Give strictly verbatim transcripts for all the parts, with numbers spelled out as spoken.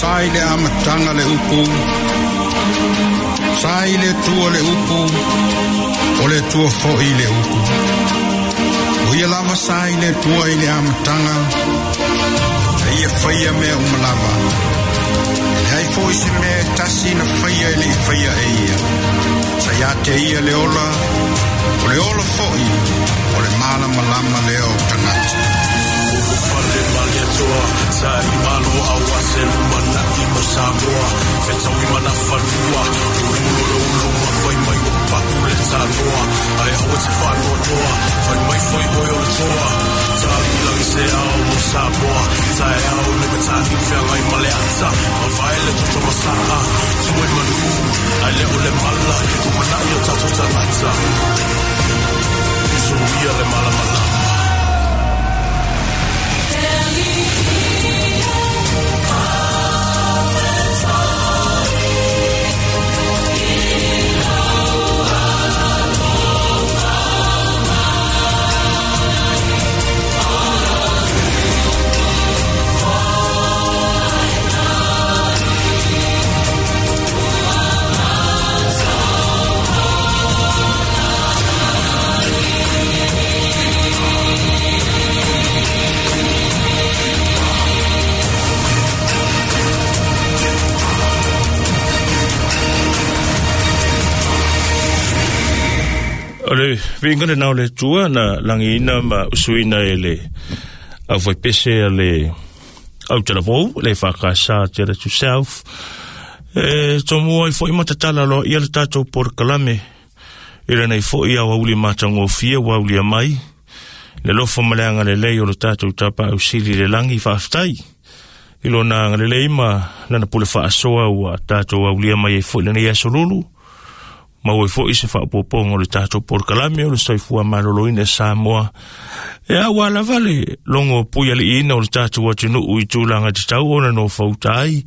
Sa i le amataga le upu, sa i le Atua le upu, o le Atua foi le upu. O ia lava sa i le Atua i le amataga, e ia faia mea uma lava. E leai foi se mea e tasi na faia e le i faia e ia. Sa ia te ia le ola, o le ola foi, o le malamalama lea o tagata. Fale maliatoa, sa i malo aua se lumana'i mo Samoa. Fetaui mana fanua, ululo le uluma, fai mai o paku le tanoa. Ai aua te whanoanoa, fai mai foi oi o le toa. Tali langi se ao mo Samoa, tae ao le matani whiangai ma le ata. Mavae le toto masaa, tue manu, ai le o le mala, lumana'i o tatou tagata. Isuia le malamalama. O le viinga le nao le tua na langiina ma usuina e le au faipese a le au talavou, le whakasa te le to self. E tomua i foi matatala loa ia le tātou porokalame. I lenei foi au auli matagofie ua aulia mai. Le lofo ma le agalelei o le tātou tapa ausili le langi faafetai. I lona agalelei ma lana pule faasoa ua tātou aulia mai ai foi lenei aso lulu. Maua ai foi se faapopoga o le tātou porokalame o le soifua maloloina e Samoa. E aua lava le logo puialiiina o le tātou atunuu i tulaga tatau ona nofauta ai,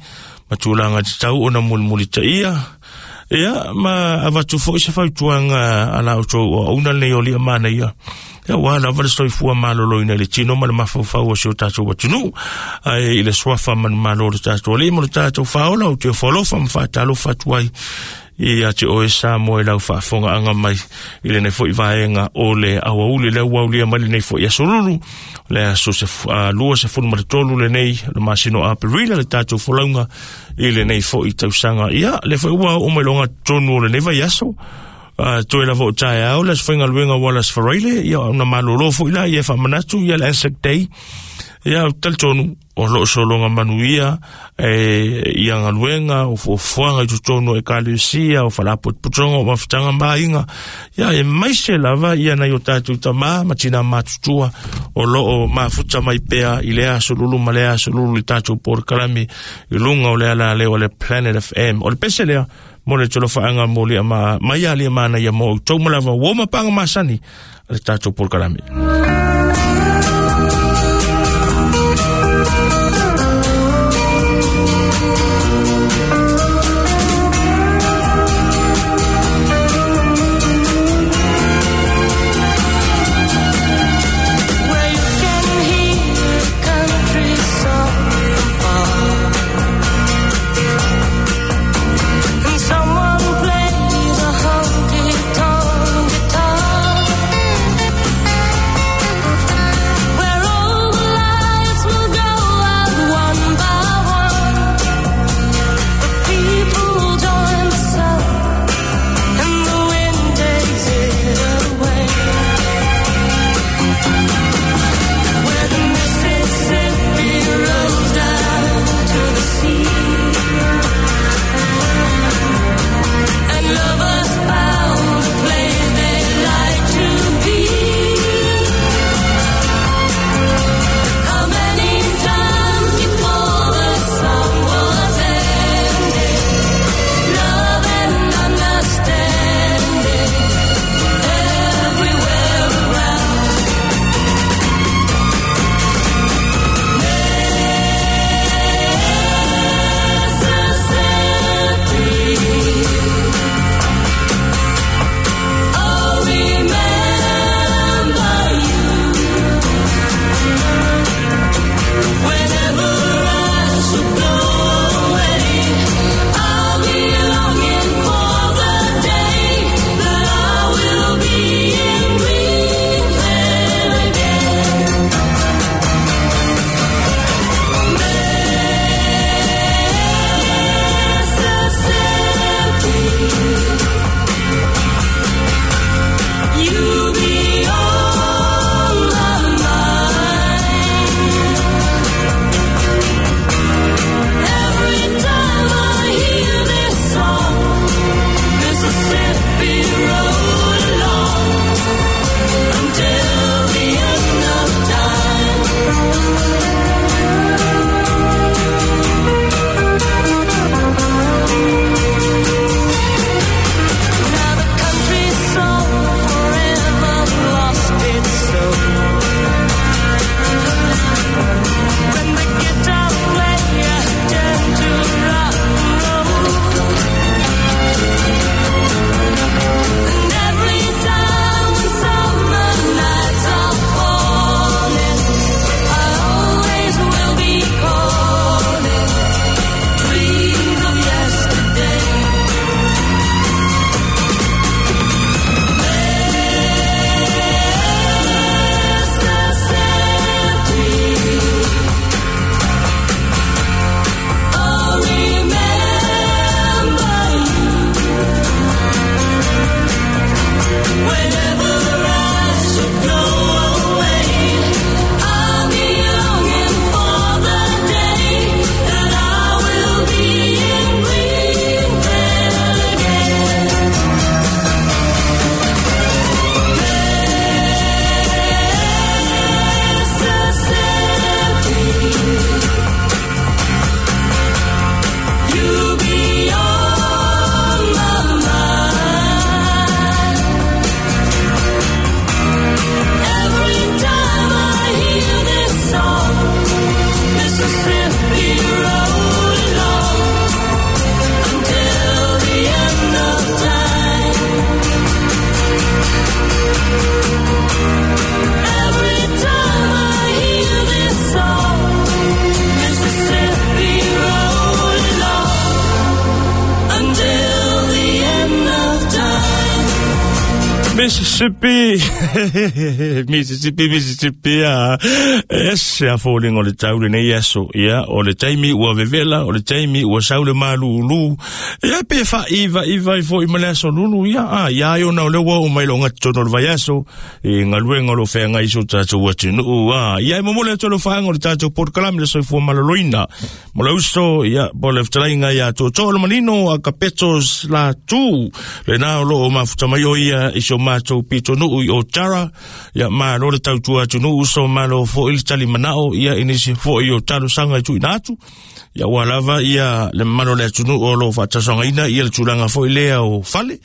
ma tulaga tatau ona mulimulitaia. Ia, ma avatu foi se fautuaga a la outou auauna lenei o lia manaia. Ia, ua lava le soifua maloloina i le tino ma le mafaufau o si o tātou atunuu. Ae i le suafa manumalo o le tātou alii ma le tātou faaola, o te ofo alofa ma faatalofa atu ai ia te oe Samoa i lau faafogaaga mai i lenei foi vaega o le auauli lea ua aulia mai lenei foi aso lulu, le aso se lua sefulu ma le tolu lenei le masina o Aperila le tātou folauga i lenei foi tausaga. Ia, le foi ua oo mai loga totonu o lenei vaiaso. Uh, toe lava o taeao le aso faigaluega ua le aso Faraile, ia ona malolo foi la ia faamanatu ia le Anzac Day. Ia, o talitonu o loo sologa manuia e ia galuega o fuafuaga i totonu o ekalesia o faalapotopotoga o mafutaga ma aiga. Ia e maise lava ia nai o tatou tamā ma tinā matutua o loo mafuta mai pea i le aso lulu ma le aso lulu i tatou porokalame i luga o le alaleo o le Planet F M. O le pese lea mo le tolofaaga mo lia ma mai a lia mana ia mo outou ma lava ua mapaga masani a le tatou porokalame. Guitar. Mississippi, Mississippi, Mississippi, ah, ese a fōlinga o le taule nei aso, ia, o le taimi ua vevela, o le taimi ua saule malulu, ia pe fa iva iva i fo i male aso lulu, ia, ah, ia ai ona o le ua o mai lo ngati tono le vai aso, e ngaluenga lo whenga iso tātou atunuu, ah, ia e momole atu lo whaanga o le tātou porkalami le soifua maloloina, mo le uso, ia, po le whtalainga ia tō tō le manino a kapetos la tū, le nā o lo o mafuta mai o ia, iso mātou pito nuu i o tara, ia malo le tautua atu nuu so malo fo ili tali manao, ia inisi fo i o talo sanga i tui natu, ia ua lava ia le malo le atu nuu o lo whaatasanga ina, ia le tūlanga fo i lea o fale,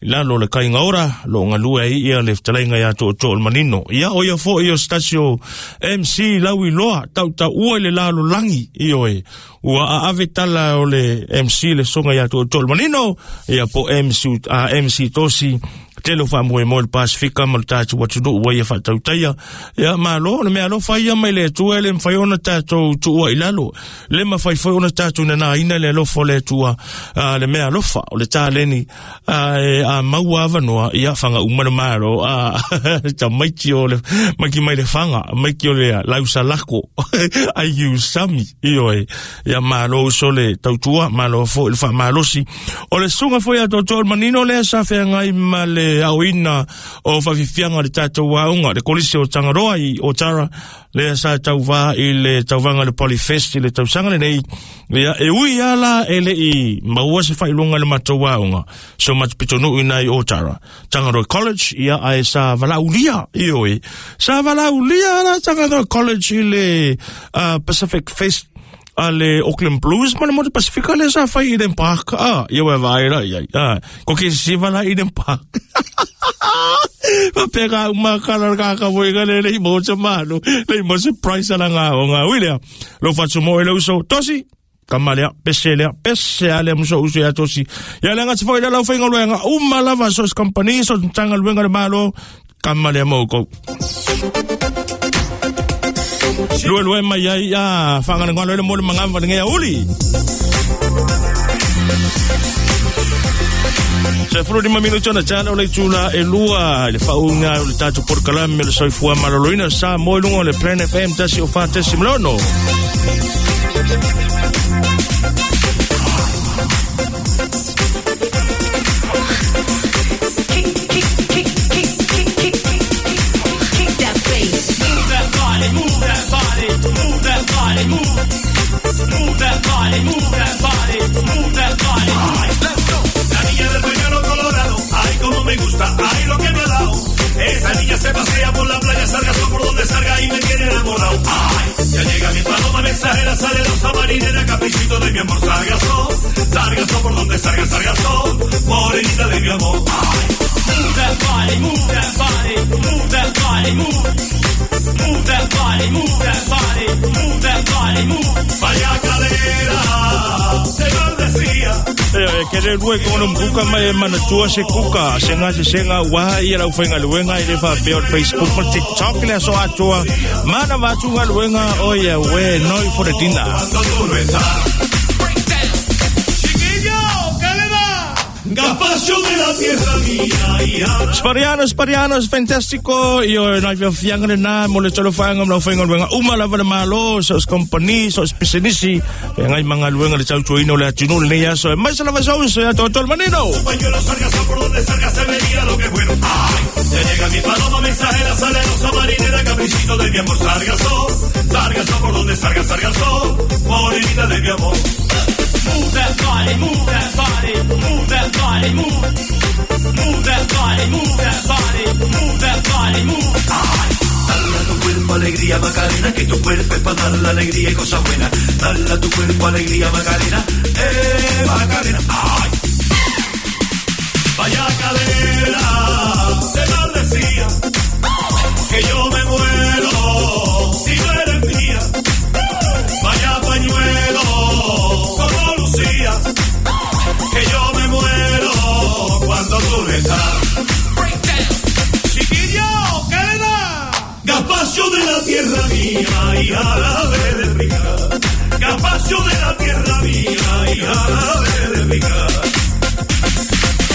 i lalo le kainga ora, lo ngalua i ia le whtalainga ia tō tō le manino, ia o ia fo i o stasio M C Laui Loa, tau tau ua i le lalo langi, i oe, ua a ave tala o le M C le songa ia tō tō le manino, ia po M C, a M C Tosi, telo wha moe moe le Pasifika ma le tātou atunuu ua ia whaatautaia. Ia malo, le mea alofa ia mai le atua le mwhai ona tātou tuua i lalo. Le mawhai whai ona tātou nana ina le alofa le atua le mea alofa o le tāleni a, e, a maua awanoa ia whanga umana malo a ta maiti o le maki mai le whanga maiki o le lausa lako ai usami ioe. Ia malo uso le tautua malo fo i le wha malosi. O le sunga fo ia tōtō manino le sa whengai ma le au ina o whawhiwhianga le tātou waunga, le kolisi o Tangaroa i o Tara, le sa tauva i le tauvaga le Polyfest i le tausaga lenei, ia e ui ala e le i maua se whailunga le matou waunga, so matupitonu ina i o Tara. Tangaroa College, ia ae sa valaulia, i oe, sa valaulia la Tangaroa College i le uh, Pacific Fest, a le Auckland Blues ma le Motu Pasifika le sa whai Eden Park. Ah, ia wai vai ra, ia. Ah, ko ke siva la Eden Park. Ma pega uma kala ka ka voi ka le le mo te malo. Le mo surprise ala ngā o ngā uilea. Lo whatu mo e le uso. Tosi! Kamalea, pese lea, pese ale muso uso ia tosi. Ia le ngati foi la lau whainga luenga. Uma lava sos company, sos tanga luenga le malo. Kamalea mo kou. Lue lue mai ai a whangana ngā loele mole mangamba ngea uli. Se furu lima minuto na tala o le tula e lua le whaunga o le tātou porkalame le soifua maloloina sa moi lunga o le Plan F M tasi o whātesi mlono. Move that body, move that body, move that body. Let's go. La niña del pañuelo colorado, ay como me gusta, ay lo que me ha dado. Esa niña se pasea por la playa, salga por donde salga y me tiene enamorado. Ay, ya llega mi paloma mensajera, sale rosa marinera, caprichito de mi amor, sargazo, sargazo por donde salga, sargazo, morenita de mi amor. Ay. Move that body, move that body, move that body, move. Move that body, move that body, move that body, move. Vaya cadera, se maldecía. Eh, ke le lue kono mkuka mai mana tua se kuka, se nga se senga wa ia lau whainga luenga i le wha peo Facebook ma TikTok le aso atua. Mana wātunga luenga o ia we noi for the dinner. Break down. Chiquillo, ¿qué le da? Gazpacho de la tierra mía, hija. Sparianos, Sparianos, fantástico. Io nai fia fianga le na mo le tolo fanga mo fanga luenga uma lava le malo, sos company, sos business. Ngai manga luenga le tau tuino le atinu le ya so. Mais la vaso so ya todo el manino. Pañuelo sargazo por donde salga se vería lo que bueno. Ay, ya llega mi paloma mensajera, sale rosa marinera, caprichito de mi amor, sargazo, sargazo por donde salga, sargazo, morenita de mi amor. Move that body, move that body, move that body, move. Move that body, move that body, move that body, move. Ay. Dale a tu cuerpo alegría, Macarena, que tu cuerpo es para dar la alegría y cosas buenas. Dale a tu cuerpo alegría, Macarena, eh, Macarena. Ay. Vaya cadera, se maldecía, que yo me muero si no eres mía. Vaya pañuelo, como lucías, que yo me muero cuando tú no estás. Chiquillo, ¿qué le da? Gazpacho de la tierra mía y árabe de pica. Gazpacho de la tierra mía y árabe de pica.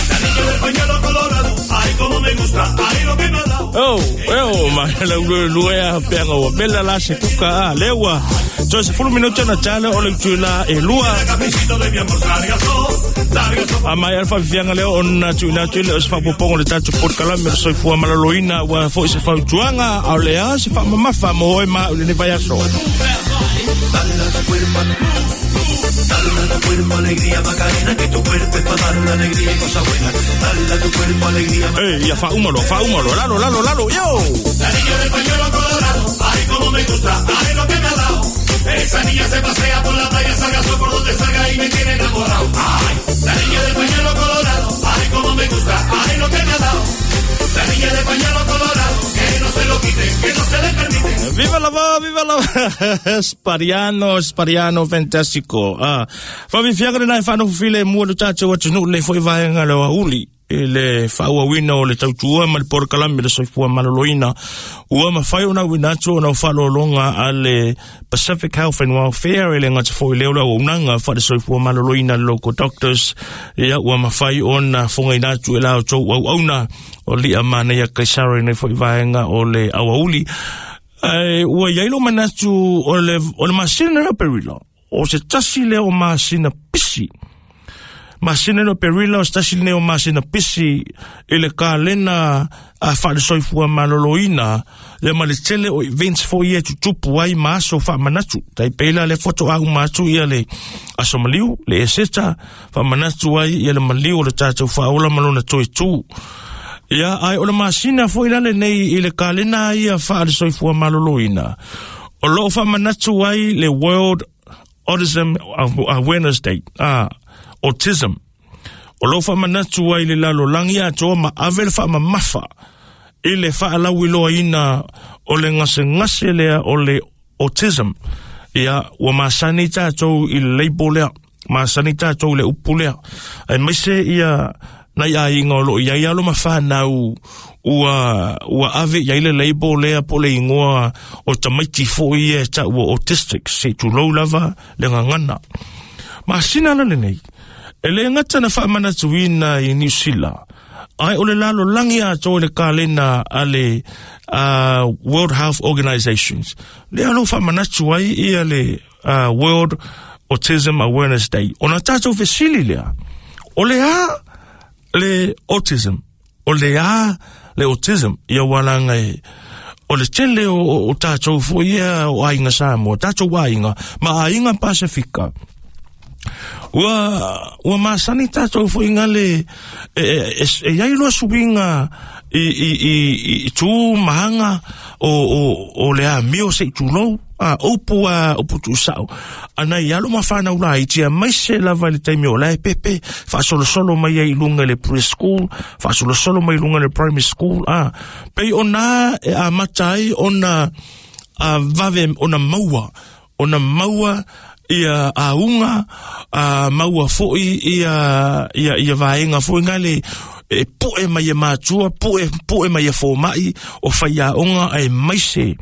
La niña del pañuelo colorado, ay como me gusta, Oh, oh, ma la lu lu ya penga o bella la se kuka a lewa. So se fulu minuto na tale o le tula e lua. A mai alfa fianga leo ona tuna tule o se faapopoga o le tatou polokalame le soifua maloloina ua fo'i se fautuaga a o le a se faamamafa mo oe ma o lenei vaiaso. Dale a tu cuerpo alegría, Macarena, que tu cuerpo es para dar la alegría y cosas buenas. Dale a tu cuerpo alegría. Eh, ya fa úmalo, fa úmalo, lalo, lalo, lalo, yo. La niña del pañuelo colorado, ay como me gusta, ay lo que me ha dado. Esa niña se pasea por la playa, salga sol por donde salga y me tiene enamorado. Ay, la niña del pañuelo colorado, ay como me gusta, ay lo que me ha dado. La niña del pañuelo colorado, que no se lo quite, que no se le permite. Viva la va, viva la va. Spariano, Spariano, fantastico. Ah, fa vi fiaga na fa no file mo lo tato wa tunu le foi vai nga lo uli. Le faauauina o le tautua ma le polokalame le soifua maloloina ua mafai ona uina atu ona o faalologa a le Pacific Health and Welfare e le gata fo'i leo le auaunaga faale-soifua maloloina le local doctors ia ua mafai ona fogaina atu e la outou auauna o li'a manaia kaisara nei fo'i vaega o le auauli. Ai ua iai lo manatu o le o le masina o perila o se tasi lea o masina pisi masina no perila o se tasi lea o masina pisi i le kalena a faalesoifua maloloina le ma le tele o events fo'i e tutupu ai ma aso faamanatu tai peila le foto au ma atu ia le aso maliu le eseta faamanatu ai ia le maliu o le tatou faaola ma lona toetū. Ia ai o le masina fo'i la lenei i le kalena ia faalesoifua maloloina o loo faamanatu ai le World Autism Awareness Day, ah, autism. O loo faamanatu ai le lalolagi atoa ma ave le faamamafa i le faalauiloaina o le gasegase lea o le autism. Ia ua masani tatou i le label lea, masani tatou i le upu lea. Ai maise ia nai aiga o loo iai alo ma fanau ua ua ave iai le label lea po le igoa o tamaiti fo'i e ta'ua autistic se tulou lava le gagana. Masina la lenei e le gata na faamanatuina i Niu Sila ai o le lalolagi atoa le kalena a le uh, World Health Organizations lea lo faamanatu ai ia le uh, World Autism Awareness Day. Ona tatou fesili lea o le a le autism, o le a le autism ia walaga e o le tele o, o tatou fo'i ia o aiga Samoa, tatou aiga ma aiga Pasifika. Ua ua masani tatou fo'i gale e e e iai loa suiga i i i i tū mahaga o o o le amio se'i tulou a upu a upu tuusa'o ana i alo ma fanau laiti amaise lava i le taimi o lae pepe faasolosolo mai ai i luga i le preschool, faasolosolo mai i luga i le primary school a pei ona e amata ai ona a vave ona maua ona maua ia auga a maua fo'i ia ia ia vaega fo'i gale e po'e mai e matua po'e po'e mai e foma'i o faiaoga ae maise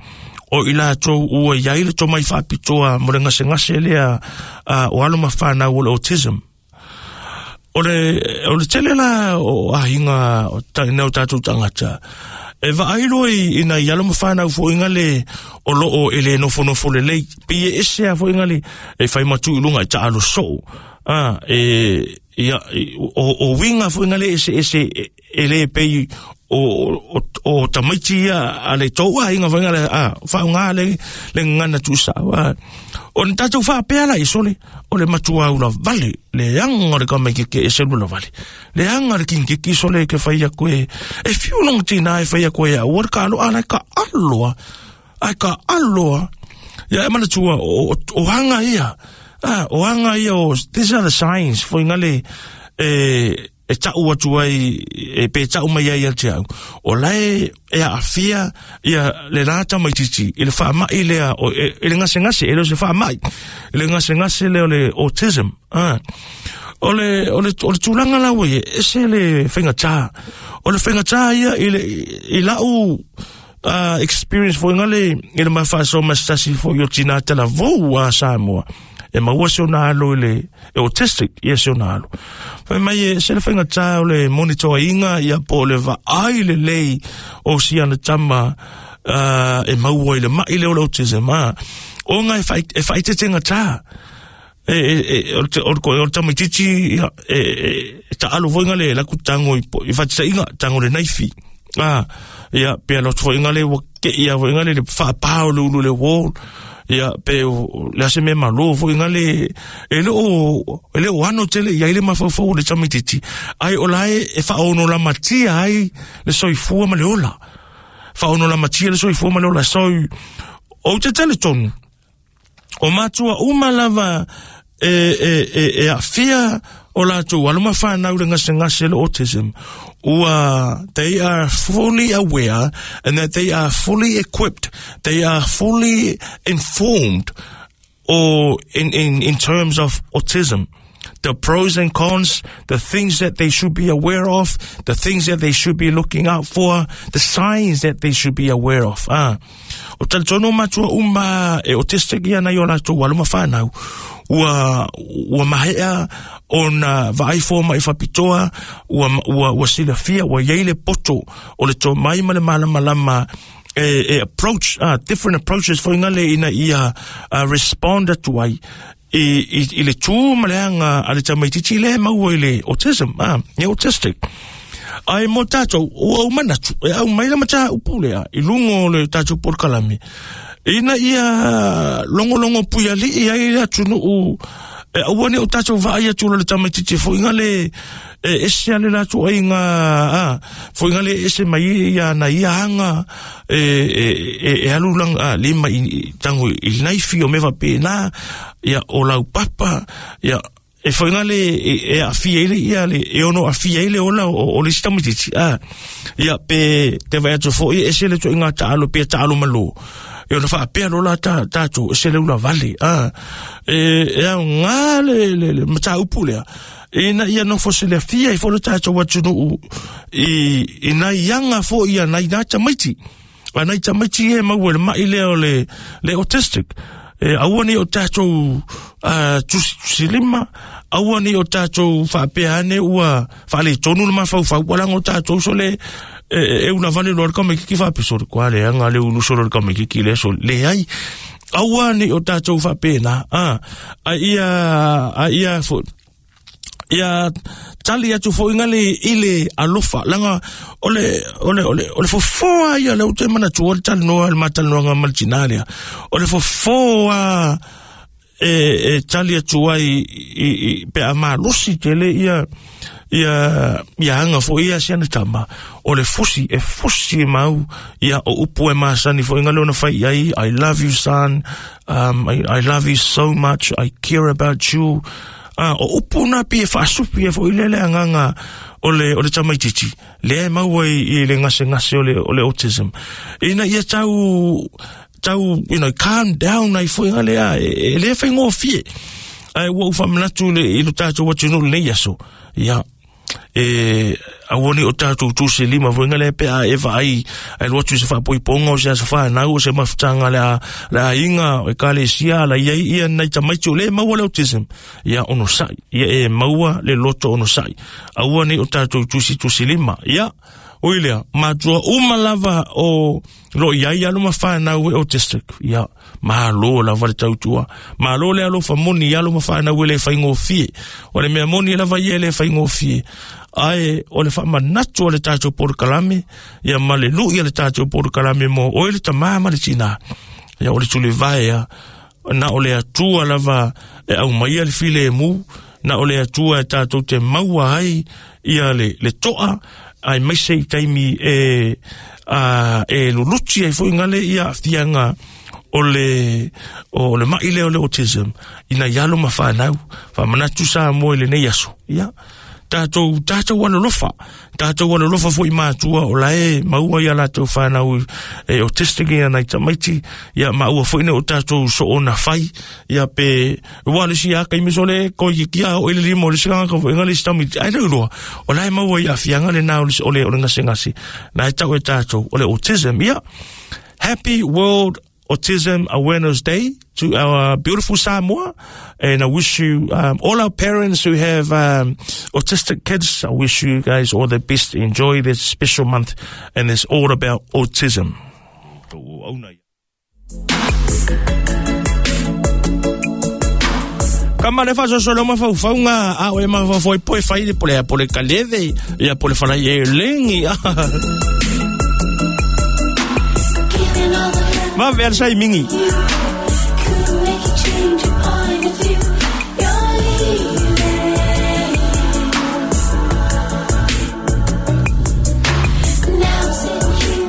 o i latou ua iai le tomai faapitoa mo le gasegase lea a, o alo ma fanau o le autism. O le o le tele la o aiga o ta- o tatou tagata e vaai loa i ina i alo ma fanau fo'i gale o loo e le nofonofo lelei pei e ese a fo'i gale e fai matu i luga i taalo soo a e ia o o winga fo'i gale ese ese e le pei o o o tamaiti ia a le tou aiga fo'i gale a faauga le le gagana tuusa'o a o na tatou faapea la i sole o le matua ula vale le aga o le kamaikeke e selu la vale le aga le kinikiki sole ke fai aku e e fiu longa tina e fai aku e ua le kalo'a la e ka aloa ai ka aloa ia e manatua o, o, o aga ia ah, o aga ia o these are the signs foi gale e e ta'u atu ai e pe ta'u mai ai ia te au o lae e aafia ia le lā tamaititi i le faama'i lea o e, e le gasegase e le o se faama'i i le gasegase lea o le autism ah. O le o le o le tulaga la ua e ese le faigatā o le faigatā ia i le i la'u uh, experience foi gale i le mafaasoa ma se tasi fo'i o tinā talavou a Samoa E maua se ona alo i le e autistic ia se ona alo. Fai mai e se le faigata o le monitoaina ia po o le vaai lelei o si ana tama uh, e maua i le mai le o le autism a. O nga e whai, e whaitetengata. E, e, e, o te, o te, o te tamaitiiti, ia, e, e, e taalo foi le laku tango i, po- i whatisaiga, tango le naifi. Ah, ia, pe alo foi le wa ke ia foi le le whaapao le ulu le wall. Ia, pe o, le ase me malo foi le, e le o, e le o ano tele, ia ile mafaufau o le tamaitiiti. Ai o lae e whaono la matia ai le soifua ma le ola. Whaono la matia le soifua ma le ola. So, o te tele tonu. O matua uma lava e, e, e, e afia o latou alo ma whanau le ngase ngase le autism. Ua, they are fully aware and that they are fully equipped. They are fully informed or in, in, in terms of autism. The pros and cons, the things that they should be aware of, the things that they should be looking out for, the signs that they should be aware of. Ah. O talitono matua uma e autistic ia nai o latou alo ma whanau. Ua, ua mahea o na vaai mai whapitoa, ua, ua, ua silafia, ua iai le poto o le tō mai ma le malamalama e, e approach, ah, different approaches foi ngale ina ia uh, respond atu ai i, i, i le tū ma le anga a le tamaitiiti le maua i le autism, ah, e autistic. Ai mo tātou, o au manatu, e au mai la mata upule a, i lungo o le tātou porokalame. Ina ia longolongo puiali i ai le atunuu, e aua ne o tātou vaai atu le tamaitiiti foi ngale, e ese ale latu ai ngā, a, foi ngale ese mai ia na ia anga, e, e, e, e alu lang, a, lima i, i tango i naifi o mewa pēnā, ia o lau papa, ia, e foi ngale e, e afia ile ia le e ono afia ile ola o, o le si tamaitiiti, a, ia pe te vai atu foi ese le tuinga taalo pe taalo malo. E ona whaapea lola ta tātou e se le ula vale, a, e, e au ngā le, le, le mata upu lea. E na ia nofo se le fia i fo le tātou atunuu i, i nai anga fo ia nai nā tamaiti. A nai tamaiti e maua le mai lea o le, le autistic. E aua ni o tātou uh, tusilima, aua ni o tātou whaapea ane ua whaale tonu le mawhauwhau, walango tātou so le e, e una vale loa le kamikiki whaapisori, kua le anga le ulu solo le kamikiki le so le ai. Aua ni o tātou whaapena, a, a ia, a ia fo, ia tali atu fo ingale ile alofa langa ole ole ole ole fofoa ia le ute mana tu ole tali noa le matali noa nga maltinalea ole fofoa e e tali atu ai i, i pe a malosi tele ia ia ia anga fo ia siana tama ole fusi e fusi mau ia o upu e masani fo ingale ona fai ai I love you son, um I, I love you so much, I care about you. Ah, o upu na pi e whaasupi e fo i lele anganga o le, o le tamaitiiti. Le e maua i, i le ngase ngase o le, o le autism. Ina ia tau, tau, you know, calm down ai fo ingale a, e, e le whai ngō fie. Ai ua uwha manatu le, i lo tātou atunuu le aso. Ia, e, aua ni o tātou tuse lima fo ingale pe a e vaai, ai loatu se whaapoiponga o se asa whanau o se mafutanga le a, le a inga o e kalesia la ia ia nai tamaiti o le maua le autism. Ia ono sai, ia e maua le loto ono sai. Aua ni o tātou tusi tusi lima. Ia, o ilea, matua uma lava o lo ia ia luma whanau e autistic. Ia, malo lava le tautua. Malo le alofa moni ia luma whanau e le whaingofie. O le mea moni lava ia le whaingofie. Ai, o le whamanatu o le tātou porokalame, ia ma le lui le tātou porokalame mo, o le tamā ma le tina. Ia o le tule vaea, na o le atua lava e au mai le file e mu, na o le atua e tātou te maua ai, ia le, le toa, ai mai se i taimi e, a, e luluti ai foi ngale ia fianga o le, o le mai le o le autism, ina ialo ma whanau, whamanatu sa mo i le nei aso. Ia, tātou, tātou alolofa, tātou alolofa foi mātua o lae, maua ia lātou whanau e autistic ia nai tamaiti, ia maua foi ne o tātou so ona whai, ia pe, ua le si aka imi sole, koi ki kia o ele lima o le sikanga ka foi ngale si tamiti, ai leu loa, o lae maua ia fianga le nā o le, o le, o le ngase ngase, nā e tau e tātou, o le autism, ia, Happy World Autism Awareness Day to our beautiful Samoa, and I wish you, um, all our parents who have um, autistic kids, I wish you guys all the best. Enjoy this special month, and it's all about autism. Ka ma le faso ma faufaunga a o e ma fafoi poe fai le pole pole kaleve ia pole fala ye lengi. Ma versa i mingi.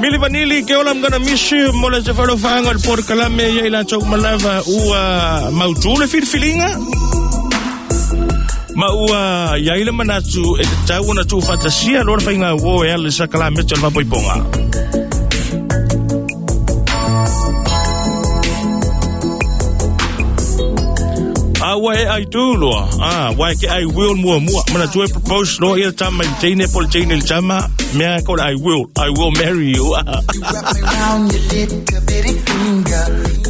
Mili Vanilli, ke ola I'm gonna miss you. Mola se falo fanga le por kalame ia ila chok malava ua mautu le filfilinga. Ma ua ia ile manatu e te tau na tu fatasia lora fainga wo e ale sa kalame tol vapoiponga. Ah, wa e ai tu loa. Ah, wa ke I will mua mua. Mana tu e propose loa ia tama i teine pole teine le tama. Mea ko I will, I will marry you.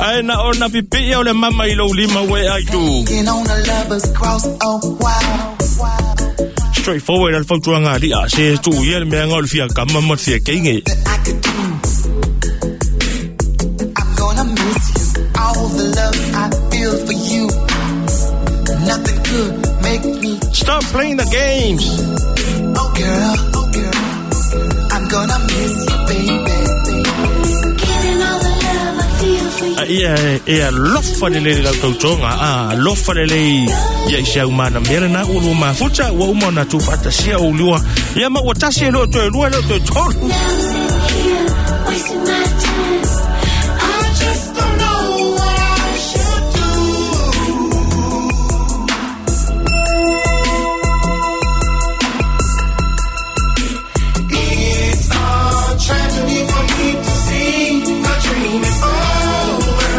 Ai na ona pipi ia o le mama i lou lima wa e ai tu. Straightforward al fautuanga ali a se tu ia le mea ngau fia kama mo fia keinge. I'm gonna miss you, all the love I feel for you. Nothing could make me stop playing the games. Oh girl, oh girl, I'm gonna miss you, baby. Giving all the love I feel for you. Ia ia lofa le le tautonga a lofa le le ia isi au mana mera na ulu ma futa wa uma na tu fatasia o lua ia ma wa tasi lo to lua lo to tolu. Now I'm sitting here wasting my time. I just don't know what I should do. It's a tragedy for me to see the dream is over,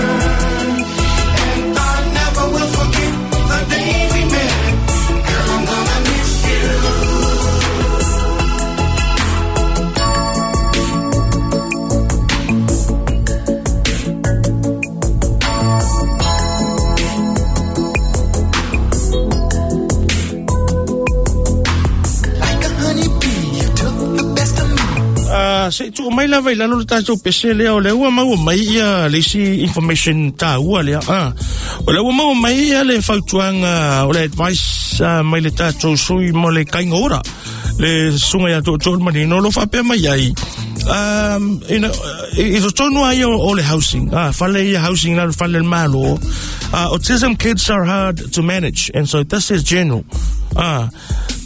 and I never will forget the day we met. Girl, I'm gonna miss you. Like a honeybee, you took the best of me. Ah, se tu mai lava i lalo le tatou pese lea o le ua maua mai ia le isi information tāua lea. Ah, o le ua maua mai ia le fautuaga o le advice ah, mai le tatou sui mo le kainga ora le sunga ia tootoo le manino lo faapea mai ai. Um, you know, i totonu ai o, o le housing. Ah, fale ia housing la fale le malo. Uh, autism kids are hard to manage, and so this is general. Ah,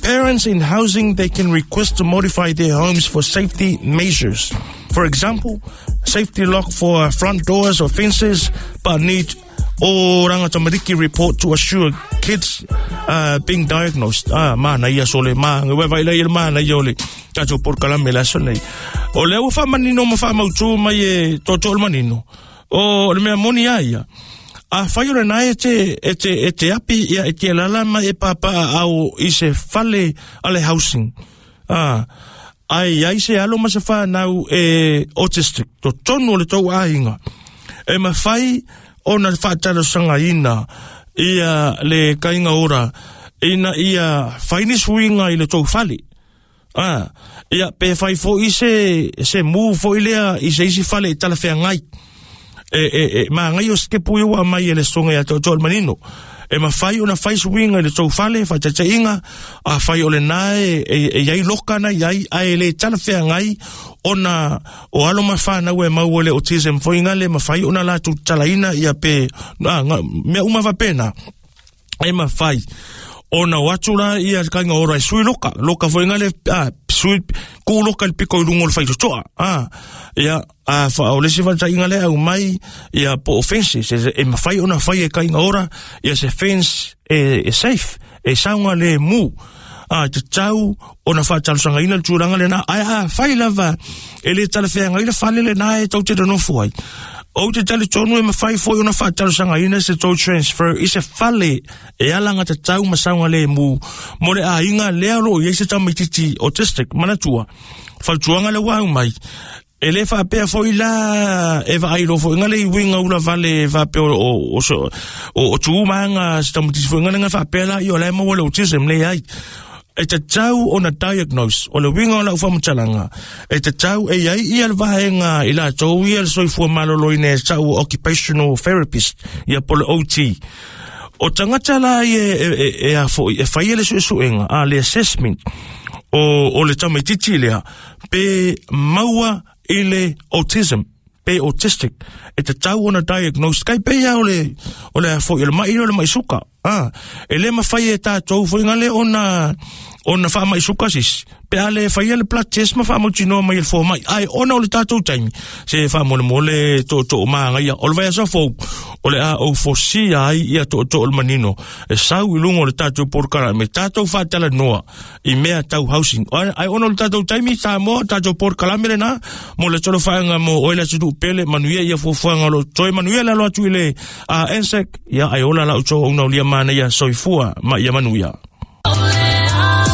parents in housing, they can request to modify their homes for safety measures. For example, safety lock for front doors or fences, but need Oranga Tamariki report to assure kids uh, being diagnosed. Ah, mana ia sole ma, ngai vai lai mana ia ole. Tatou por kalame la sone. O le ua whamanino ma whamautu mai e toto le manino. O le mea moni a ia. A whai ora nai e te, e te, e te api ia e te lalama e papa au i se fale ale housing. Ah, ai ai se alo ma se whanau e autistic. To tonu o le tau ainga. E ma whai o na whaatalo sanga ina ia le kainga ora ina ia whaini suinga i le tau fale. Ah, ia pe whai fo i se, se mu fo i lea i se isi fale i tala whea ngai. E, e, e, ma ngai o skepu iwa mai e le songa ia tau tau manino. E ma whai o na whai suinga i le tau fale, whai taitainga, a whai o le nae, e, e iai loka na iai, a e le tala whea ngai, o na, o alo ma whanau e mau o le autism foinga le, ma whai o na latu talaina ia pe, na, nga, mea uma wapena. E ma whai, o na watu la ia kainga ora e sui loka, loka foinga le, ah, sui, ku loka le piko i lungo le whaitotoa. Ah, ia, a wha, o le si whantainga le au mai, ia po o fences, e, e mawhai ona whai e kainga ora, ia se fence e, e safe, e saunga le mu. Ah, te tau o na whaatalusanga ina le tūranga le nā, ai a whai lava, e le talawheanga ina whale le nā e tau te ranofu ai. O te tali tonu e mawhai foi o na whaatalusanga ina se tau transfer, i se whale e alanga te tau masaunga le mu, mo le a inga lea lo i se tamaititi autistic, manatua, whautuanga le wau mai, E le faapea foi la e vaai lo foi ngale i winga ula vale faapea o o o o o tu manga se tamatisi foi ngale nga faapea la i o le maua le autism le ai. E tatau ona diagnose o le winga o lau faamatalaga e tatau e iai ia le vaega i latou ia le soifua maloloina e ta'u occupational therapist ia po le O T o tagata la e e e, e a foi e faia le suesuega a le assessment o o le tamaititi lea pe maua i le autism pe autistic e tatau ona diagnose kai pe ia o le o le foi o le mai o le mai suka ah e le mafai e tatou foi ngale ona ona faamai suka sisi pe a le faia le blood test ma faamautinoa mai e le fomai ai ona o le tatou taimi se faamolemole tootoo magaia o le vaiaso fou o le a ou fosia ai ia tootoo le manino e sau i luga o le tatou polokalame tatou faatalanoa i mea tau housing ai ona o le tatou taimi Samoa tatou polokalame lena mo le tolofaga mo oe le atunuu pele manuia ia fuafuaga o lo toe manuia le alo atu i le uh, N S E C ia ai ola lau touauna ulia manaia soifua ma ia manuia.